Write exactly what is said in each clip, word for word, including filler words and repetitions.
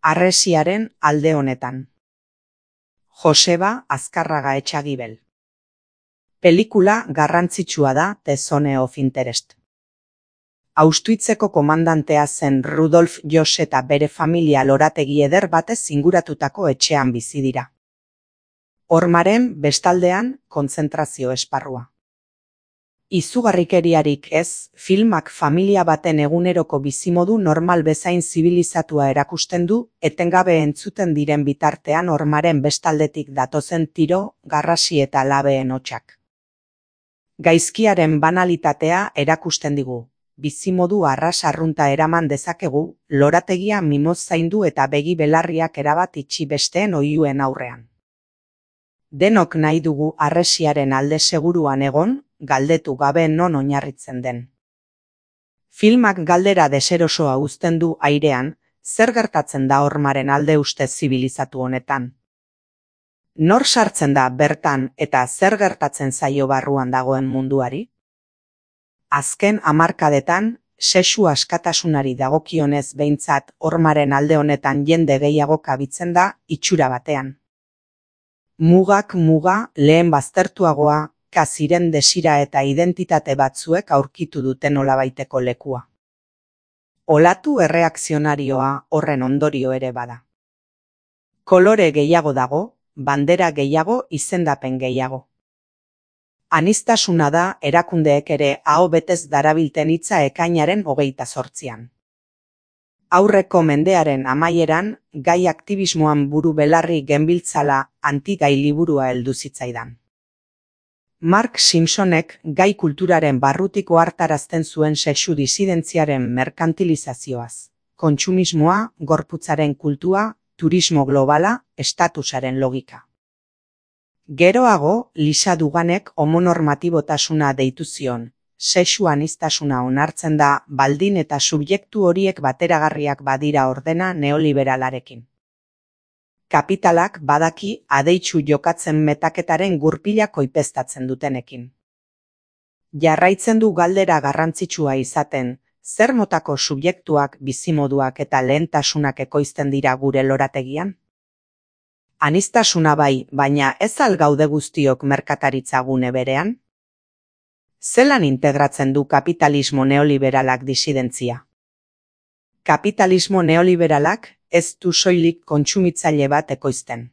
Harresiaren alde honetan. Joseba Azkarraga Etxagibel. Pelikula garrantzitsua da The Zone of Interest. Austuitzeko komandantea zen Rudolf Joss eta bere familia lorategi eder batez inguratutako etxean bizi dira. Hormaren bestaldean kontzentrazio esparrua. Izugarrikeriarik ez, filmak familia baten eguneroko bizimodu normal bezain zibilizatua erakusten du, etengabe entzuten diren bitartean hormaren bestaldetik datozen tiro, garrasi eta labeen hotsak. Gaizkiaren banalitatea erakusten digu. Bizimodu arras arrunta eraman dezakegu, lorategia mimoz zaindu eta begi belarriak erabat itxi besteen oihuen aurrean. Denok nahi dugu harresiaren alde seguruan egon, galdetu gabe non oinarritzen den. Filmak galdera deserosoa uzten du airean, zer gertatzen da hormaren alde ustez zibilizatu honetan. Nor sartzen da bertan eta zer gertatzen zaio barruan dagoen munduari? Azken hamarkadetan, sexu askatasunari dagokionez behintzat hormaren alde honetan jende gehiago kabitzen da itxura batean. Mugak muga lehen baztertuagoa, kaziren desira eta identitate batzuek aurkitu duten olabaiteko lekua. Olatu erreakzionarioa horren ondorio ere bada. Kolore gehiago dago, bandera gehiago, izendapen gehiago. Aniztasuna da erakundeek ere aho betez darabilten hitza ekainaren hogeita zortzian. Aurreko mendearen amaieran, gai aktivismoan buru belarri genbiltzala anti-gai liburua heldu zitzaidan. Mark Simpsonek gai kulturaren barrutik ohartarazten zuen sexu disidentziaren merkantilizazioaz, kontsumismoa, gorputzaren kultua, turismo globala, estatusaren logika. Geroago, Lisa Duganek homonormatibotasuna deitu zion, sexu aniztasuna onartzen da baldin eta subjektu horiek bateragarriak badira ordena neoliberalarekin. Kapitalak badaki adeitsu jokatzen metaketaren gurpila koipeztatzen dutenekin. Jarraitzen du galdera garrantzitsua izaten, zer motako subjektuak, bizimoduak eta lehentasunak ekoizten dira gure lorategian? Aniztasuna bai, baina ez al gaude guztiok merkataritza gune berean? Zelan integratzen du kapitalismo neoliberalak disidentzia? Kapitalismo neoliberalak ez du soilik kontsumitzaile bat ekoizten.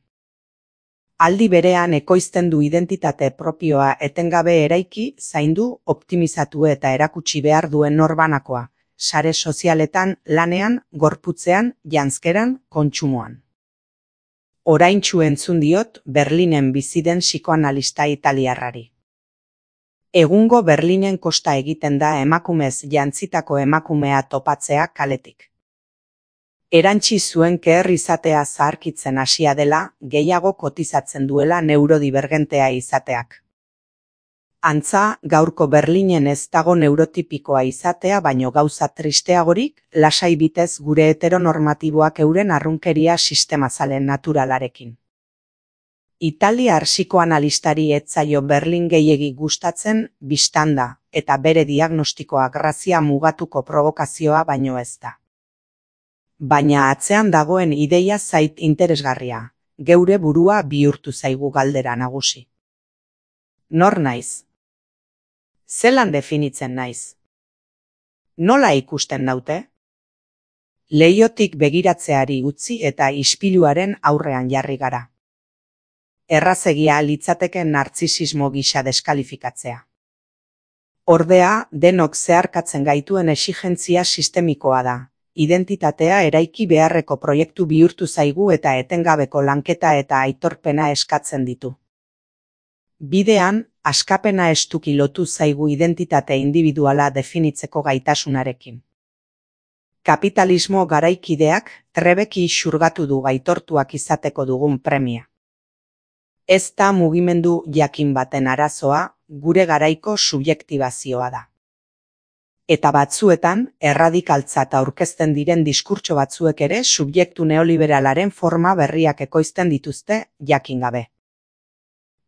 Aldi berean ekoizten du identitate propioa etengabe eraiki, zaindu, optimizatu eta erakutsi behar duen norbanakoa, sare sozialetan, lanean, gorputzean, janzkeran, kontsumoan. Oraintsu entzun diot Berlinen bizi den psikoanalista italiarrari. Egungo Berlinen kosta egiten da emakumez jantzitako emakumea topatzea kaletik. Erantsi zuen keher izatea zaharkitzen hasia dela, gehiago kotizatzen duela neurodibergentea izateak. Antza, gaurko Berlinen ez dago neurotipikoa izatea baino gauza tristeagorik, lasai bitez gure heteronormatiboak euren arrunkeria sistemazalen naturalarekin. Italiar psikoanalistari ez zaio Berlin gehiegi gustatzen bistanda, eta bere diagnostikoa grazia mugatuko provokazioa baino ez da. Baina atzean dagoen ideia zait interesgarria, geure burua bihurtu zaigu galdera nagusi. Nor naiz? Zelan definitzen naiz? Nola ikusten naute? Leihotik begiratzeari utzi eta ispiluaren aurrean jarri gara. Errazegia litzateke nartzisismo gisa deskalifikatzea. Ordea, denok zeharkatzen gaituen exigentzia sistemikoa da. Identitatea eraiki beharreko proiektu bihurtu zaigu eta etengabeko lanketa eta aitorpena eskatzen ditu. Bidean, askapena estuki lotu zaigu identitate individuala definitzeko gaitasunarekin. Kapitalismo garaikideak trebeki xurgatu du aitortuak izateko dugun premia. Ez da mugimendu jakin baten arazoa, gure garaiko subjektibazioa da. Eta batzuetan, erradikaltzat aurkezten diren diskurtso batzuek ere subjektu neoliberalaren forma berriak ekoizten dituzte, jakin gabe.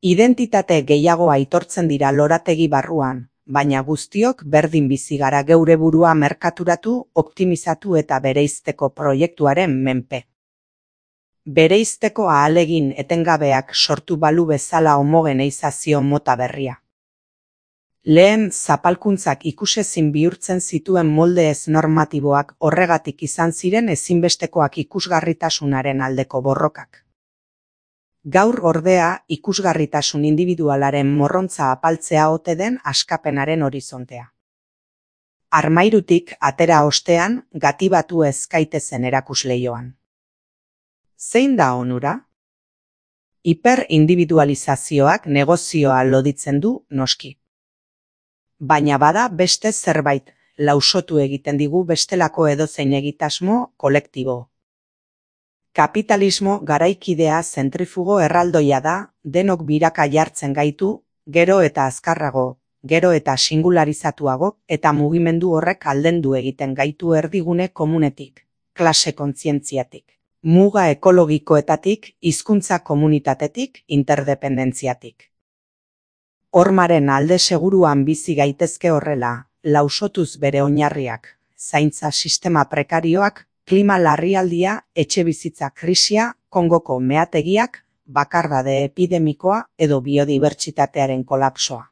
Identitate gehiago aitortzen dira lorategi barruan, baina guztiok berdin bizi gara geure burua merkaturatu, optimizatu eta bereizteko proiektuaren menpe. Bereizteko ahalegin etengabeak sortu balu bezala homogeneizazio mota berria. Lehen zapalkuntzak ikusezin bihurtzen zituen molde ez normatiboak horregatik izan ziren ezinbestekoak ikusgarritasunaren aldeko borrokak. Gaur ordea ikusgarritasun individualaren morrontza apaltzea ote den askapenaren horizontea. Armairutik atera ostean gatibatu ez gaitezen erakusleioan. Zein da onura? Hiperindividualizazioak negozioa loditzen du noski. Baina bada beste zerbait, lausotu egiten digu bestelako edozein egitasmo kolektibo. Kapitalismo garaikidea zentrifugo erraldoia da, denok biraka jartzen gaitu, gero eta azkarrago, gero eta singularizatuago, eta mugimendu horrek aldendu egiten gaitu erdigune komunetik, klase kontzientziatik, muga ekologikoetatik, hizkuntza komunitatetik, interdependentziatik. Hormaren alde seguruan bizi gaitezke horrela, lausotuz bere oinarriak, zaintza sistema prekarioak, klima larrialdia, etxebizitza krisia, Kongoko meategiak, bakardade epidemikoa edo biodibertsitatearen kolapsoa.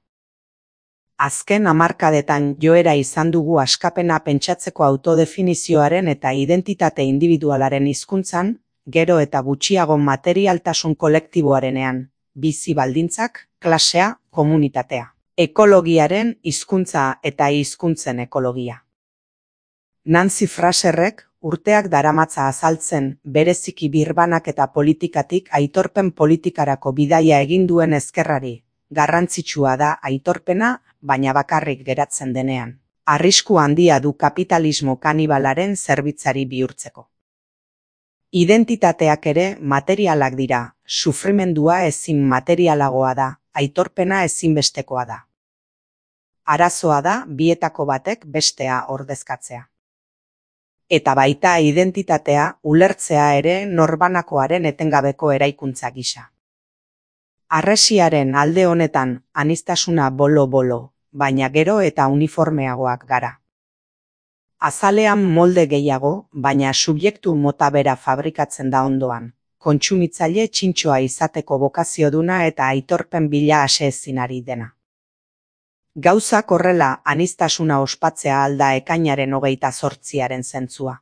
Azken hamarkadetan joera izan dugu askapena pentsatzeko autodefinizioaren eta identitate individualaren hizkuntzan, gero eta gutxiago materialtasun kolektiboarenean, bizi baldintzak, klasea, komunitatea. Ekologiaren hizkuntza eta hizkuntzen ekologia. Nancy Fraserrek urteak daramatza azaltzen bereziki birbanak eta politikatik aitorpen politikarako bidaia egin duen ezkerrari. Garrantzitsua da aitorpena, baina bakarrik geratzen denean. Arrisku handia du kapitalismo kanibalaren zerbitzari bihurtzeko. Identitateak ere materialak dira, sufrimendua ezin materialagoa da, aitorpena ezinbestekoa da. Arazoa da bietako batek bestea ordezkatzea. Eta baita identitatea ulertzea ere norbanakoaren etengabeko eraikuntza gisa. Harresiaren alde honetan aniztasuna bolo-bolo, baina gero eta uniformeagoak gara. Azalean molde gehiago, baina subjektu mota bera fabrikatzen da ondoan. Kontsumitzaile txintxoa izateko bokazioduna eta aitorpen bila aseezinari dena. Gauzak horrela aniztasuna ospatzea alda ekainaren hogeita zortziaren zentzua.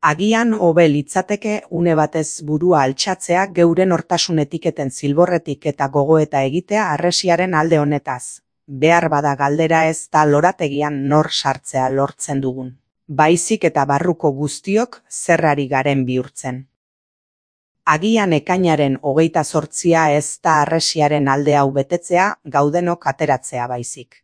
Agian hobe litzateke une batez burua altxatzea geuren hortasun etiketen zilborretik eta gogoeta egitea harresiaren alde honetaz. Behar bada galdera ez da lorategian nor sartzea lortzen dugun. Baizik eta barruko guztiok zerrari garen bihurtzen. Agian ekainaren hogeita zortzia ez da harresiaren alde hau betetzea gaudenok ateratzea baizik.